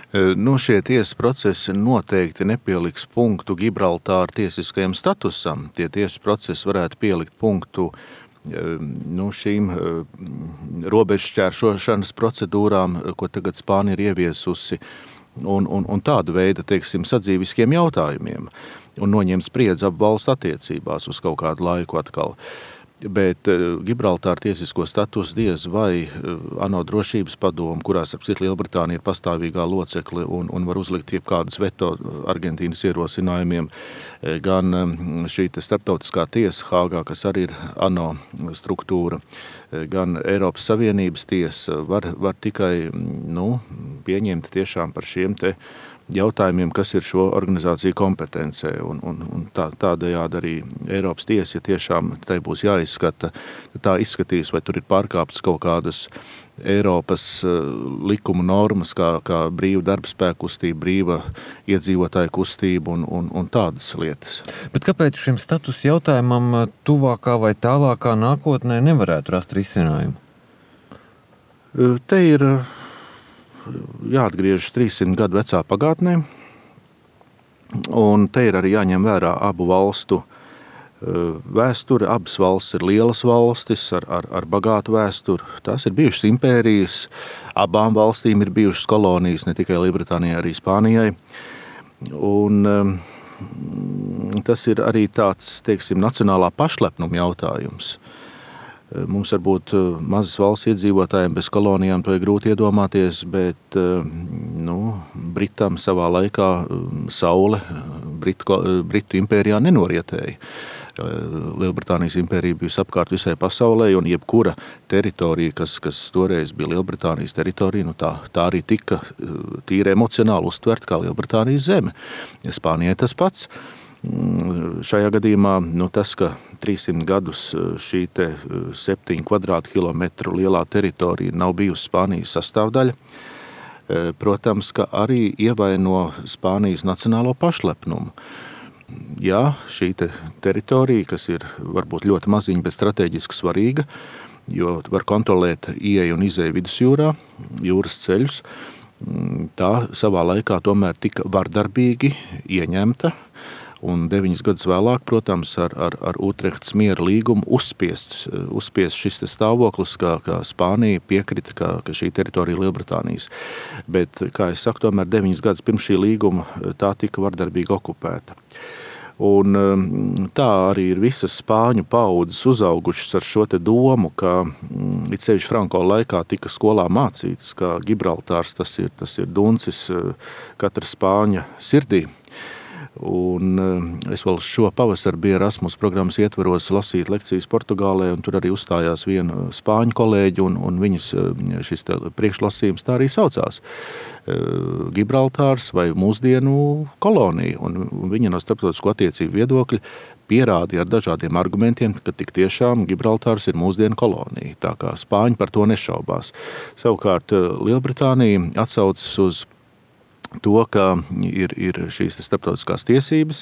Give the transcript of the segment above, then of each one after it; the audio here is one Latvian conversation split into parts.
Šie tiesas procesi noteikti nepieliks punktu Gibraltāra tiesiskajam statusam. Tie tiesas procesi varētu pielikt punktu šīm robežšķēršošanas procedūrām, ko tagad Spānija ir ieviesusi, un tādu veidu, sadzīviskiem jautājumiem, un noņemt spriedzi ap valstu attiecībās uz kaut kādu laiku atkal. Bet Gibraltāra tiesisko statusu diez vai ANO drošības padomu, kurās ap citu Lielbritānija ir pastāvīgā locekle un var uzlikt jebkādas veto Argentīnas ierosinājumiem, gan šī starptautiskā tiesa Hāgā, kas arī ir ANO struktūra, gan Eiropas Savienības tiesa var tikai pieņemt tiešām par šiem te jautājumiem, kas ir šo organizāciju kompetencē, un tādējādi arī Eiropas tiesa, ja tiešām tai būs jāizskata, tā izskatīs, vai tur ir pārkāptas kaut kādas Eiropas likumu normas, kā brīva darbspēka kustība, brīva iedzīvotāju kustība un tādas lietas. Bet kāpēc šim status jautājumam tuvākā vai tālākā nākotnē nevarētu rast risinājumu? Te ir jāatgriežas 300 gadu vecā pagātnē, un te ir arī jāņem vērā abu valstu vēsture. Abas valstis ir lielas valstis ar bagātu vēsturi. Tās ir bijušas impērijas, abām valstīm ir bijušas kolonijas, ne tikai Lielbritānijai, arī Spānijai. Un tas ir arī tāds, nacionālā pašlepnuma jautājums. Mums varbūt mazas valsts iedzīvotājiem bez kolonijām to ir grūti iedomāties, bet Britam savā laikā saule Britu impērijā nenorietēja. Lielbritānijas impērija bijusi apkārt visai pasaulē, un jebkura teritorija, kas toreiz bija Lielbritānijas teritorija, tā arī tika tīri emocionāli uztverta kā Lielbritānijas zeme. Spānijai tas pats. Šajā gadījumā tas, ka 300 gadus šī 7 kvadrātkilometru lielā teritorija nav bijusi Spānijas sastāvdaļa, protams, ka arī ievaino Spānijas nacionālo pašlepnumu. Jā, šī teritorija, kas ir varbūt ļoti maziņa, bet strateģiski svarīga, jo var kontrolēt ieeju un izēju vidusjūrā, jūras ceļus, tā savā laikā tomēr tika vardarbīgi ieņemta, un 9 gadus vēlāk, protams, ar Utrehtas miera līgumu uzspiest šis stāvoklis, kā Spānija piekrita, ka šī teritorija ir Lielbritānijas. Bet, kā es saku, tomēr 9 gadus pirms šī līguma tā tika vardarbīgi okupēta. Un tā arī ir visas spāņu paudzes uzaugušas ar šo domu, ka it sevišķi Franko laikā tika skolā mācīts, ka Gibraltārs tas ir duncis katra spāņa sirdī. Un es vēl šo pavasaru biju Erasmus programmas ietvaros lasīt lekcijas Portugālē, un tur arī uzstājās viena spāņu kolēģi, un viņas šis priekšlasījums tā arī saucās. Gibraltārs vai mūsdienu kolonija, un viņa no starptautisko attiecību viedokļa pierādīja ar dažādiem argumentiem, ka tik tiešām Gibraltārs ir mūsdienu kolonija, tā kā spāņi par to nešaubās. Savukārt Lielbritānija atsaucas uz to, ka ir šīs starptautiskās tiesības,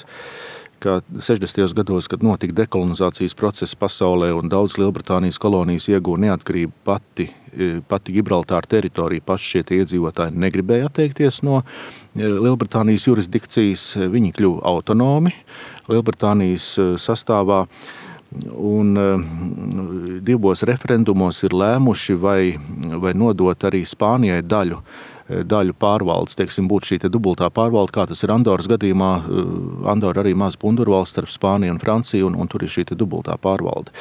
ka 60. gados, kad notika dekolonizācijas process pasaulē un daudz Lielbritānijas kolonijas iegūja neatkarību pati Gibraltāra teritorija, paši šie iedzīvotāji negribēja atteikties no Lielbritānijas jurisdikcijas, viņi kļuva autonomi Lielbritānijas sastāvā, un 2 referendumos ir lēmuši vai nodot arī Spānijai daļu pārvaldes, būtu šī dubultā pārvalde, kā tas ir Andoras gadījumā. Andora arī maz pundurvalsts starp Spāniju un Franciju, un tur ir šī dubultā pārvalde.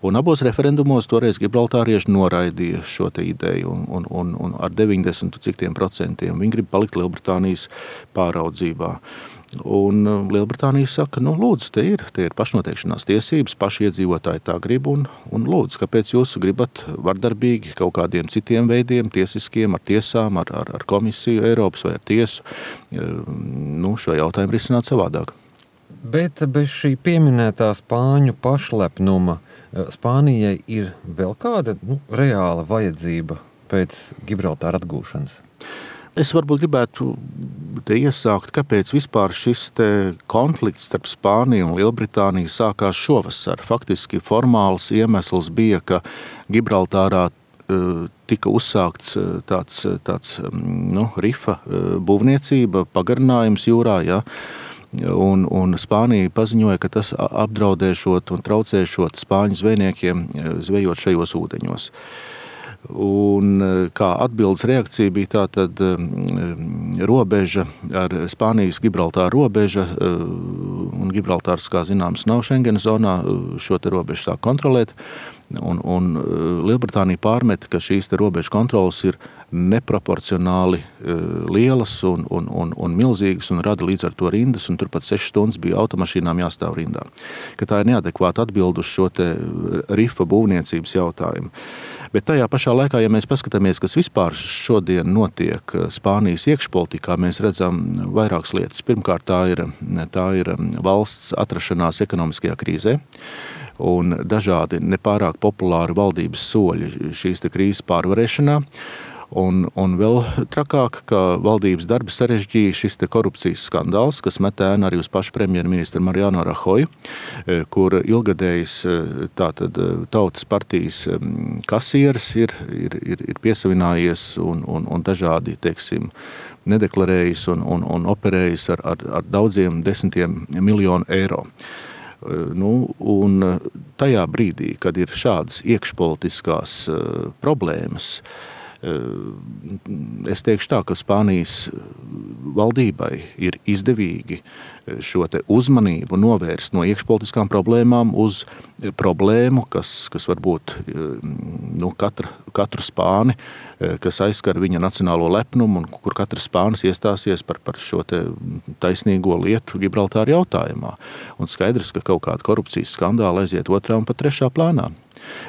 Un abos referendumos toreiz gibraltārieši noraidīja šo ideju, un ar 90% viņi grib palikt Lielbritānijas pāraudzībā. Un Lielbritānija saka, lūdzu, te ir pašnoteikšanās tiesības, paši iedzīvotāji tā grib, un lūdzu, kāpēc jūs gribat vardarbīgi kaut kādiem citiem veidiem, tiesiskiem, ar tiesām, ar komisiju Eiropas vai ar tiesu, šo jautājumu risināt savādāk. Bet bez šī pieminētā spāņu pašlepnuma Spānijai ir vēl kāda reāla vajadzība pēc Gibraltāra atgūšanas? Es varbūt gribētu te iesākt, kāpēc vispār šis konflikts starp Spāniju un Lielbritāniju sākās šovasar. Faktiski formāls iemesls bija, ka Gibraltārā tika uzsākts tāds rifa būvniecība, pagarinājums jūrā, ja, un Spānija paziņoja, ka tas apdraudēšot un traucēšot spāņu zvejniekiem zvejot šajos ūdeņos. Un kā atbildes reakcija bija tātad robeža ar Spānijas Gibraltāra robeža, un Gibraltārs, kā zināms, nav Schengen zonā, šo te robežu sāk kontrolēt, un Lielbritānija pārmeta, ka šīs te robežu kontrolas ir neproporcionāli lielas un milzīgas un rada līdz ar to rindas, un turpat 6 stundas bija automašīnām jāstāv rindā. Ka tā ir neadekvāta atbilde uz šo te rifa būvniecības jautājumu. Bet tajā pašā laikā, ja mēs paskatāmies, kas vispār šodien notiek Spānijas iekšpolitikā, mēs redzam vairākas lietas. Pirmkārt, tā ir valsts atrašanās ekonomiskajā krīzē un dažādi nepārāk populāri valdības soļi šīs te krīzes pārvarēšanā. Un vēl trakāk, ka valdības darbi sarežģīja šis te korupcijas skandāls, kas met ēnu arī uz pašu premjerministru Mariano Rajoy, kur ilgadējs tātad Tautas partijas kasieris ir piesavinājies un dažādi, teiksim, nedeklarējis un operējis ar daudziem desmitiem miljonu eiro. Un tajā brīdī, kad ir šādas iekšpolitiskās problēmas, es teikšu tā, ka Spānijas valdībai ir izdevīgi šo te uzmanību novērst no iekšpolitiskām problēmām uz problēmu, kas varbūt katru spāni, kas aizskar viņa nacionālo lepnumu un kur katrs spānis iestāsies par šo te taisnīgo lietu Gibraltāra jautājumā. Un skaidrs, ka kaut kāda korupcijas skandāla aiziet otrā un pat trešā plānā.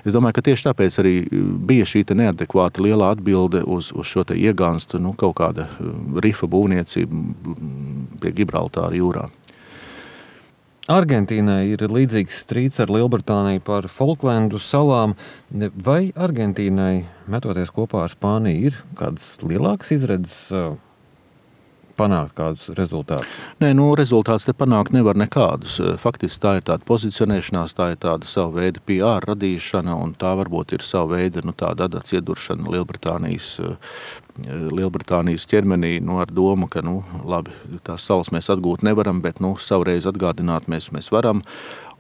Es domāju, ka tieši tāpēc arī bija šī te neadekvāta lielā atbilde uz šo te iegānstu, kaut kāda rifa būvniecība pie Gibraltāra jūrā. Argentīnai ir līdzīgs strīds ar Lielbritāniju par Falklandu salām. Vai Argentīnai, metoties kopā ar Spāniju, ir kādas lielākas izredzes panākt kādus rezultātus? Nē, rezultātus te panākt nevar nekādus. Faktiski tā ir tāda pozicionēšanās, tā ir tāda sava veida PR radīšana, un tā varbūt ir sava veida tāda adats ieduršana Lielbritānijas ķermenī, ar domu, ka, labi, tās salas mēs atgūt nevaram, bet, savreiz atgādināt mēs varam,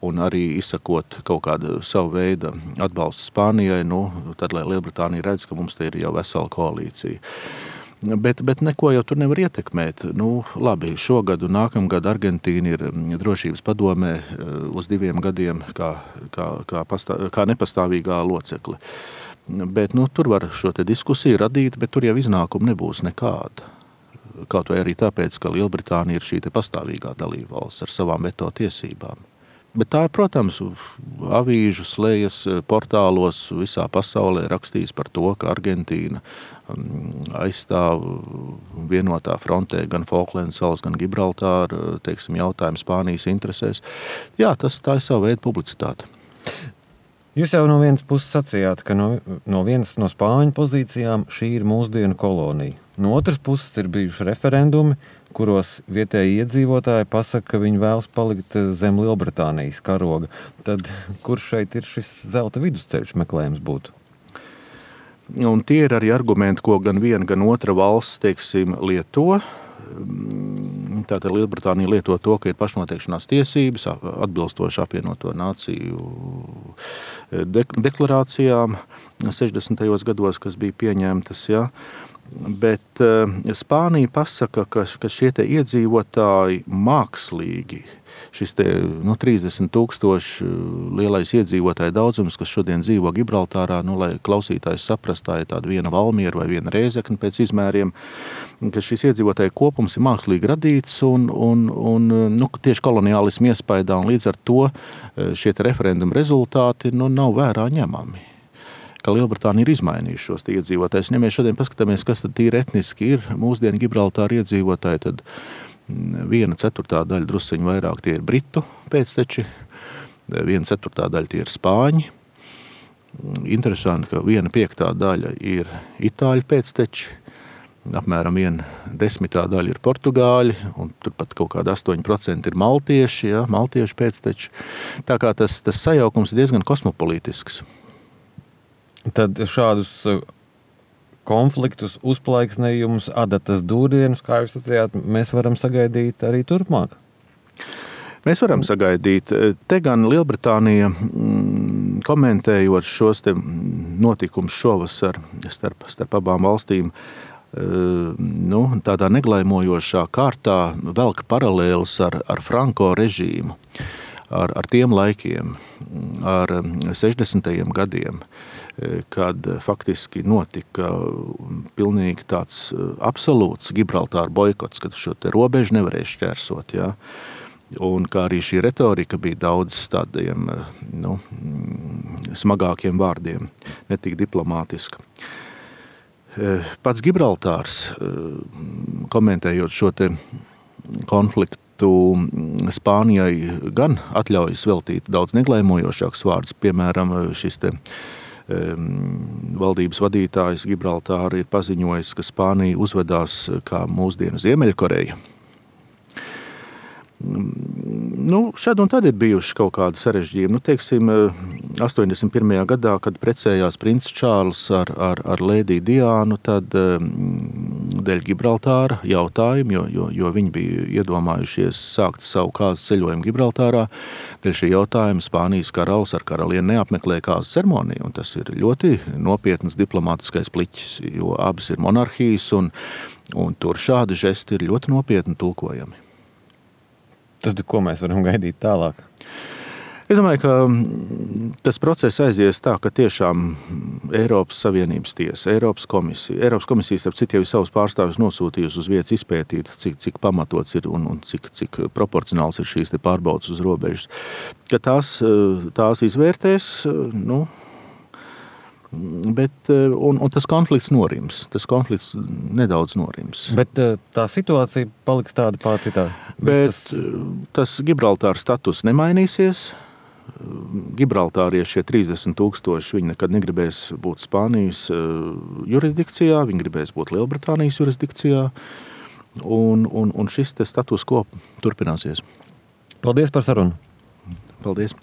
un arī izsakot kaut kādu savu veidu atbalstu Spānijai, tad, lai Lielbritānija redz, ka mums te ir jau vesela koalīcija. Bet neko jau tur nevar ietekmēt. Labi, šogad un nākamgad Argentīna ir drošības padomē uz 2 gadiem kā nepastāvīgā locekle. Bet tur var šo te diskusiju radīt, bet tur jau iznākumu nebūs nekāda. Kaut vai arī tāpēc, ka Lielbritānija ir šī te pastāvīgā dalībvalsts ar savām veto tiesībām. Bet tā, protams, avīžu slejas portālos visā pasaulē rakstīs par to, ka Argentīna aizstāv vienotā frontē gan Falklandu salas, gan Gibraltāru, jautājumu Spānijas interesēs. Jā, tā ir sava veida publicitāte. Jūs jau no vienas puses sacījāt, ka no vienas no Spāņu pozīcijām šī ir mūsdienu kolonija. No otras puses ir bijuši referendumi, kuros vietēji iedzīvotāji pasaka, ka viņi vēlas palikt zem Lielbritānijas karoga. Tad kur šeit ir šis zelta vidusceļš meklējums būtu? Un tie ir arī argumenti, ko gan viena, gan otra valsts, lieto. Tātad Lielbritānija lieto to, ka ir pašnoteikšanās tiesības, atbilstoši apvienoto nāciju deklarācijām 60. gados, kas bija pieņemtas, ja. Bet Spānija pasaka, ka šie te iedzīvotāji mākslīgi, šis te 30 000 lielais iedzīvotāju daudzums, kas šodien dzīvo Gibraltārā, lai klausītājs saprast, tā ir tāda viena Valmiera vai viena Rēzekne pēc izmēriem, ka šis iedzīvotāju kopums ir mākslīgi radīts un tieši koloniālismu iespaidā, un līdz ar to šie te referendumu rezultāti nav vērā ņemami. Ka Lielbritānija ir izmainījuši šos iedzīvotājus. Ja mēs šodien paskatāmies, kas tad tīri etniski ir mūsdienu Gibraltāra iedzīvotāji, tad 1/4 daļa drusciņu vairāk tie ir britu pēcteči, 1/4 daļa tie ir spāņi. Interesanti, ka 1/5 daļa ir itāļu pēcteči, apmēram 1/10 daļa ir portugāļi, un turpat kaut kāda 8% ir maltieši, ja, maltiešu pēcteči. Tā kā tas sajaukums ir diezgan kosmopolītisks. Tad šādus konfliktus, uzplaiksnējumus, adatas dūrienus, kā jūs sacījāt, mēs varam sagaidīt arī turpmāk. Mēs varam sagaidīt. Te gan Lielbritānija, komentējot šos te notikumus šovasar starp abām valstīm, tādā neglaimojošā kārtā velk paralēlus ar Franko režīmu, ar tiem laikiem, ar 60. gadiem, kad faktiski notika pilnīgi tāds absolūts Gibraltāra boikots, kad šo te robežu nevarēja šķērsot, jā. Un kā arī šī retorika bija daudz tādiem smagākiem vārdiem, ne tik diplomātiska. Pats Gibraltārs, komentējot šo te konfliktu, Spānijai gan atļaujas veltīt daudz neglaimojošāks vārdus, piemēram, šis te valdības vadītājs Gibraltāra ir paziņojis, ka Spānija uzvedās kā mūsdienu Ziemeļkoreja. Šad un tad ir bijuši kaut kādi sarežģījumi. Teiksim, 81. gadā, kad precējās princis Čārls ar lēdiju Diānu, tad dēļ Gibraltāra jautājumu, jo viņi bija iedomājušies sākt savu kāzas ceļojumu Gibraltārā, dēļ šī jautājuma Spānijas karalis ar karalieni neapmeklēja kāzas ceremoniju, un tas ir ļoti nopietnas diplomātiskais pliķis, jo abas ir monarhijas, un tur šādi žesti ir ļoti nopietni tulkojami. Tad, ko mēs varam gaidīt tālāk? Es domāju, ka tas process aizies tā, ka tiešām Eiropas Savienības tiesa, Eiropas komisija, starp citu, jau savus pārstāvjus nosūtījusi uz vietas izpētīt, cik pamatots ir un cik proporcionāls ir šīs te pārbaudas uz robežas. Ka tās izvērtēs, bet tas konflikts norims. Tas konflikts nedaudz norims. Bet tā situācija paliks tāda pati tā. Bet tas Gibraltāra status nemainīsies. Gibraltārieši, šie 30,000, viņi nekad negribēs būt Spānijas jurisdikcijā, viņi gribēs būt Lielbritānijas jurisdikcijā. Un šis te status quo turpināsies. Paldies par sarunu. Paldies.